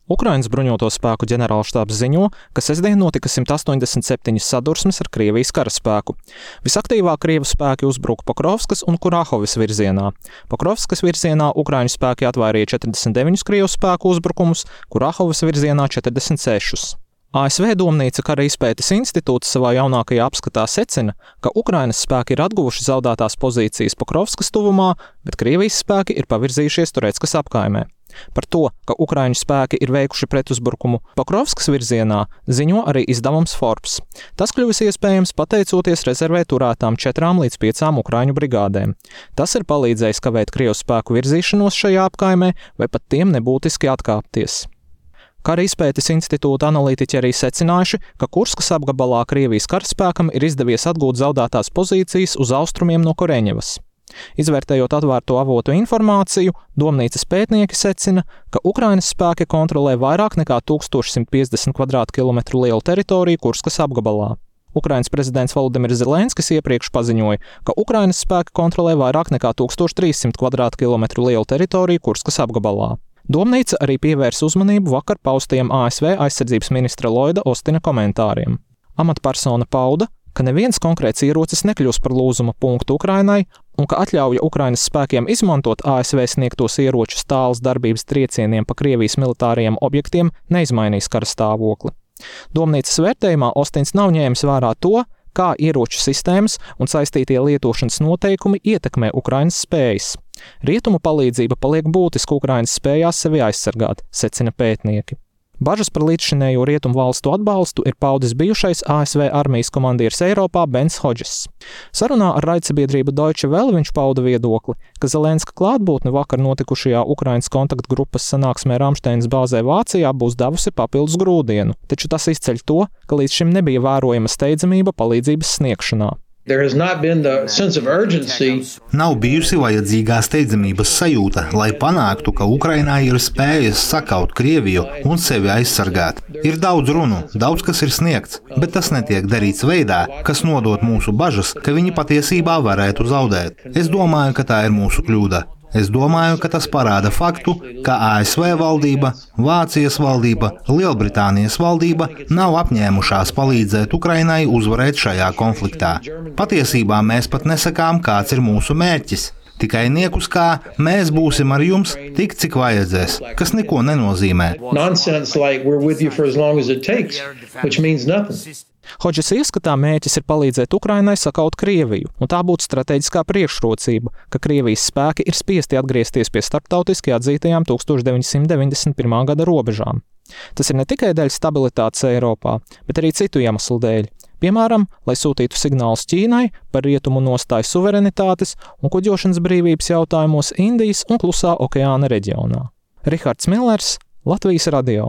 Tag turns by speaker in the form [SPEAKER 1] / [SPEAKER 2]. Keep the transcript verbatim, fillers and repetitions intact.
[SPEAKER 1] Ukrainas bruņoto spēku ģenerālštābs ziņo, ka sestdien notika simt astoņdesmit septiņas sadursmes ar Krievijas karaspēku. Visaktīvāk Krievu spēki uzbruka Pokrovskas un Kurahovas virzienā. Pokrovskas virzienā Ukraiņu spēki atvairīja četrdesmit deviņus Krievu spēku uzbrukumus, Kurahovas virzienā četrdesmit sešus. A S V Domnīca kara izpētes institūts savā jaunākajā apskatā secina, ka Ukrainas spēki ir atguvuši zaudētās pozīcijas Pokrovskas tuvumā, bet Krievijas spēki ir pavirzījušies Tureckas apkaimē. Par to, ka Ukraiņu spēki ir veikuši pretuzbrukumu Pokrovskas virzienā, ziņo arī izdevums Forbes. Tas kļuvis iespējams pateicoties rezervē turētām četrām līdz piecām Ukraiņu brigādēm. Tas ir palīdzējis kavēt Krievu spēku virzīšanos šajā apkaimē vai pat tiem nebūtiski atkāpties. Kara izpētes institūta analītiķi arī secinājuši, ka Kurskas apgabalā Krievijas karaspēkam ir izdevies atgūt zaudētās pozīcijas uz austrumiem no Koreņevas. Izvērtējot atvērto avotu informāciju, Domnīcas pētnieki secina, ka Ukrainas spēki kontrolē vairāk nekā tūkstoš simt piecdesmit kvadrātkilometru lielu teritoriju Kurskas apgabalā. Ukrainas prezidents Volodimirs Zelenskis iepriekš paziņoja, ka Ukrainas spēki kontrolē vairāk nekā tūkstoš trīs simt kvadrātkilometru lielu teritoriju Kurskas apgabalā. Domnīca arī pievērsa uzmanību vakar paustajiem A S V aizsardzības ministra Lloyda Ostina komentāriem. Amatpersona pauda, ka neviens konkrēts ierocis nekļūs par lūzuma punktu Ukrainai un ka atļauja Ukrainas spēkiem izmantot A S V sniegtos ieročus tālas darbības triecieniem pa Krievijas militārajiem objektiem neizmainīs kara stāvokli. Domnīcas vērtējumā Ostins nav ņēmis vērā to, kā ieroču sistēmas un saistītie lietošanas noteikumi ietekmē Ukrainas spējas. Rietumu palīdzība paliek būtiska Ukrainas spējās sevi aizsargāt, secina pētnieki. Bažas par līdzšinējo rietumu valstu atbalstu ir paudis bijušais A S V armijas komandieris Eiropā Bens Hodžess. Sarunā ar raidsabiedrību Deutsche Welle viņš pauda viedokli, ka Zelenska klātbūtne vakar notikušajā Ukrainas kontaktgrupas sanāksmē Ramšteinas bāzē Vācijā būs devusi papildus grūdienu, taču tas izceļ to, ka līdz šim nebija vērojama steidzamība palīdzības sniegšanā.
[SPEAKER 2] Nav bijusi vajadzīgā steidzamības sajūta, lai panāktu, ka Ukrainā ir spējas sakaut Krieviju un sevi aizsargāt. Ir daudz runu, daudz kas ir sniegts, bet tas netiek darīts veidā, kas nodot mūsu bažas, ka viņi patiesībā varētu zaudēt. Es domāju, ka tā ir mūsu kļūda. Es domāju, ka tas parāda faktu, ka A S V valdība, Vācijas valdība, Lielbritānijas valdība nav apņēmušās palīdzēt Ukrainai uzvarēt šajā konfliktā. Patiesībā mēs pat nesakām, kāds ir mūsu mērķis. Tikai niekus kā mēs būsim ar jums tik, cik vajadzēs, kas neko nenozīmē.
[SPEAKER 1] Hodžes ieskatā mērķis ir palīdzēt Ukrainai sakaut Krieviju, un tā būtu strateģiskā priekšrocība, ka Krievijas spēki ir spiesti atgriezties pie starptautiski atzītajām tūkstoš deviņsimt deviņdesmit pirmā gada robežām. Tas ir ne tikai dēļ stabilitātes Eiropā, bet arī citu iemeslu dēļ. Piemēram, lai sūtītu signālus Ķīnai par rietumu nostāju suverenitātes un kuģošanas brīvības jautājumos Indijas un Klusā okeāna reģionā. Rihards Millers, Latvijas radio.